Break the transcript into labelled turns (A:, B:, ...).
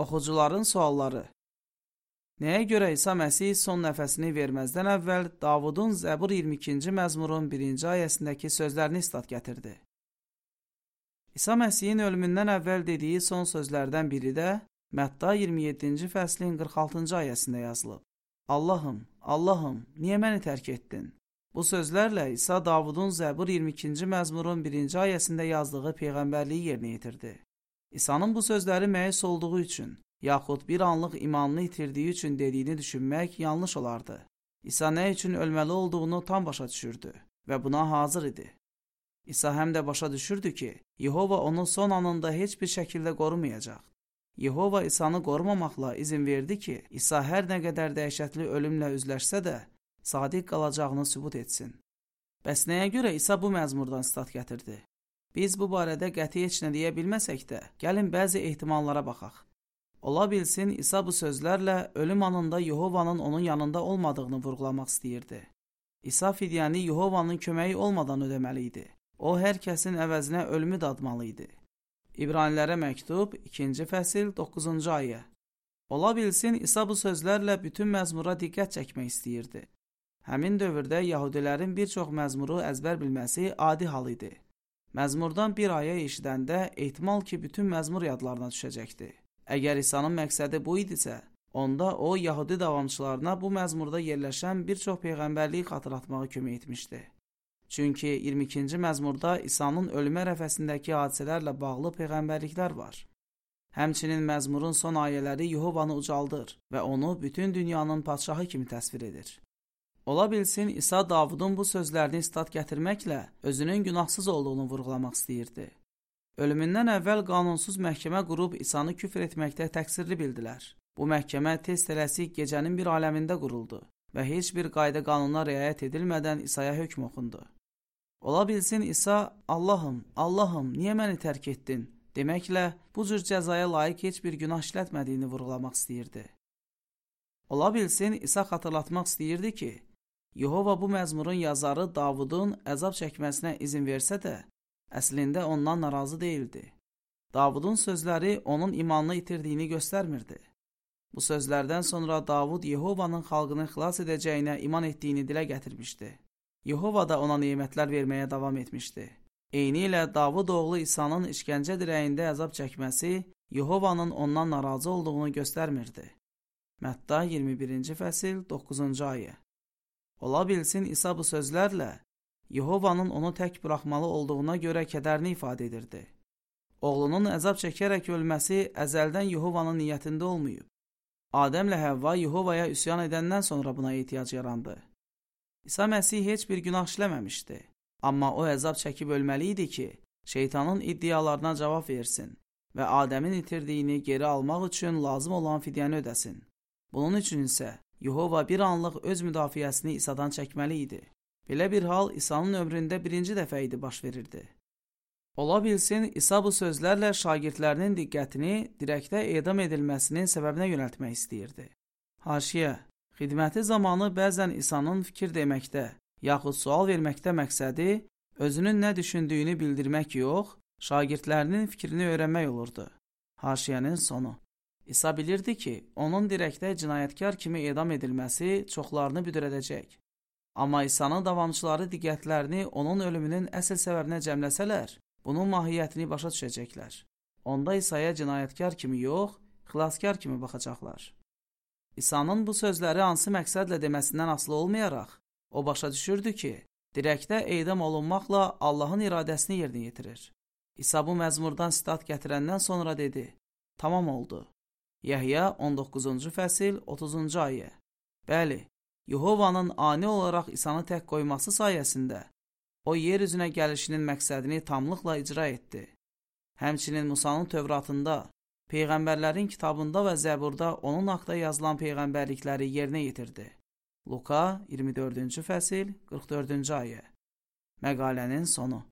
A: Oxucuların sualları. Nəyə görə İsa Məsih son nəfəsini verməzdən əvvəl Davudun Zəbur 22-ci məzmurun 1-ci ayəsindəki sözlərini istat gətirdi? İsa Məsihin ölümündən əvvəl dediyi son sözlərdən biri də Mətta 27-ci fəslin 46-cı ayəsində yazılıb. Allahım, Allahım, niyə məni tərk etdin? Bu sözlərlə İsa Davudun Zəbur 22-ci məzmurun 1-ci ayəsində yazdığı peyğəmbərliyi yerinə yetirdi. İsa'nın bu sözləri məyus olduğu üçün, yaxud bir anlıq imanını itirdiyi üçün dediyini düşünmək yanlış olardı. İsa nə üçün ölməli olduğunu tam başa düşürdü və buna hazır idi. İsa həm də başa düşürdü ki, Yehova onu son anında heç bir şəkildə qorumayacaq. Yehova İsa'nı qorumamaqla izin verdi ki, İsa hər nə qədər dəhşətli ölümlə üzləşsə də, sadiq qalacağını sübut etsin. Bəs nəyə görə İsa bu məzmurdan istat gətirdi? Biz bu barədə qəti heç nə deyə bilməsək də, gəlin bəzi ehtimallara baxaq. Ola bilsin, İsa bu sözlərlə ölüm anında Yehovanın onun yanında olmadığını vurğulamaq istəyirdi. İsa fidyəni Yehovanın köməyi olmadan ödəməli idi. O, hər kəsin əvəzinə ölümü dadmalı idi. İbranilərə məktub 2-ci fəsil 9-cu ayə. Ola bilsin, İsa bu sözlərlə bütün məzmura diqqət çəkmək istəyirdi. Həmin dövrdə Yahudilərin bir çox məzmuru əzbər bilməsi adi hal idi. Məzmurdan bir ayə eşidəndə ehtimal ki, bütün məzmur yadlarına düşəcəkdi. Əgər İsa'nın məqsədi bu idisə, onda o, Yahudi davamçılarına bu məzmurda yerləşən bir çox peyğəmbərliyi xatırlatmağa kömək etmişdi. Çünki 22-ci məzmurda İsa'nın ölümə ərəfəsindəki hadisələrlə bağlı peyğəmbərliklər var. Həmçinin məzmurun son ayələri Yehovanı ucaldır və onu bütün dünyanın padşahı kimi təsvir edir. Ola bilsin, İsa Davudun bu sözlərini istat gətirməklə özünün günahsız olduğunu vurğulamaq istəyirdi. Ölümündən əvvəl qanunsuz məhkəmə qurub İsa'nı küfr etməkdə təqsirli bildilər. Bu məhkəmə tez tələsik gecənin bir aləmində quruldu və heç bir qayda qanuna riayət edilmədən İsa'ya hökm oxundu. Ola bilsin, İsa, Allahım, Allahım, niyə məni tərk etdin? Deməklə, bu cür cəzaya layiq heç bir günah işlətmədiyini vurğulamaq istəyirdi. Ola bilsin, İsa xatırlatmaq istəyirdi ki, Yehova bu məzmurun yazarı Davudun əzab çəkməsinə izin versə də, əslində ondan narazı deyildi. Davudun sözləri onun imanını itirdiyini göstərmirdi. Bu sözlərdən sonra Davud Yehovanın xalqını xilas edəcəyinə iman etdiyini dilə gətirmişdi. Yehova da ona nemətlər verməyə davam etmişdi. Eynilə Davud oğlu İsa'nın işgəncə dirəyində əzab çəkməsi Yehovanın ondan narazı olduğunu göstərmirdi. Mətta 21-ci fəsil 9-cu ayə. Ola bilsin, İsa bu sözlərlə Yehovanın onu tək buraxmalı olduğuna görə kədərini ifadə edirdi. Oğlunun əzab çəkərək ölməsi əzəldən Yehovanın niyyətində olmayıb. Adəmlə Həvva Yehovaya üsyan edəndən sonra buna ehtiyac yarandı. İsa Məsih heç bir günah işləməmişdi. Amma o əzab çəkib ölməli idi ki, şeytanın iddialarına cavab versin və Adəmin itirdiyini geri almaq üçün lazım olan fidyəni ödəsin. Bunun üçün isə Yehova bir anlıq öz müdafiəsini İsa'dan çəkməli idi. Belə bir hal İsa'nın ömründə birinci dəfə idi baş verirdi. Ola bilsin, İsa bu sözlərlə şagirdlərinin diqqətini dirəkdə edam edilməsinin səbəbinə yönəltmək istəyirdi. Haşiyə, xidməti zamanı bəzən İsa'nın fikir deməkdə, yaxud sual verməkdə məqsədi özünün nə düşündüyünü bildirmək yox, şagirdlərinin fikrini öyrənmək olurdu. Haşiyənin sonu. İsa bilirdi ki, onun dirəkdə cinayətkar kimi edam edilməsi çoxlarını büdrədəcək. Amma İsa'nın davamçıları diqqətlərini onun ölümünün əsl səbəbinə cəmləsələr, bunun mahiyyətini başa düşəcəklər. Onda İsa'ya cinayətkar kimi yox, xilaskar kimi baxacaqlar. İsa'nın bu sözləri hansı məqsədlə deməsindən asılı olmayaraq, o başa düşürdü ki, dirəkdə edam olunmaqla Allahın iradəsini yerinə yetirir. İsa bu məzmurdan sitat gətirəndən sonra dedi, tamam oldu. Yəhya 19-cu fəsil 30-cu ayə. Bəli, Yehovanın ani olaraq İsa'nı tək qoyması sayəsində o yer üzünə gəlişinin məqsədini tamlıqla icra etdi. Həmçinin Musanın Tövratında, Peyğəmbərlərin kitabında və Zəburda onun haqda yazılan peyğəmbərlikləri yerinə yetirdi. Luka 24-cü fəsil 44-cü ayə. Məqalənin sonu.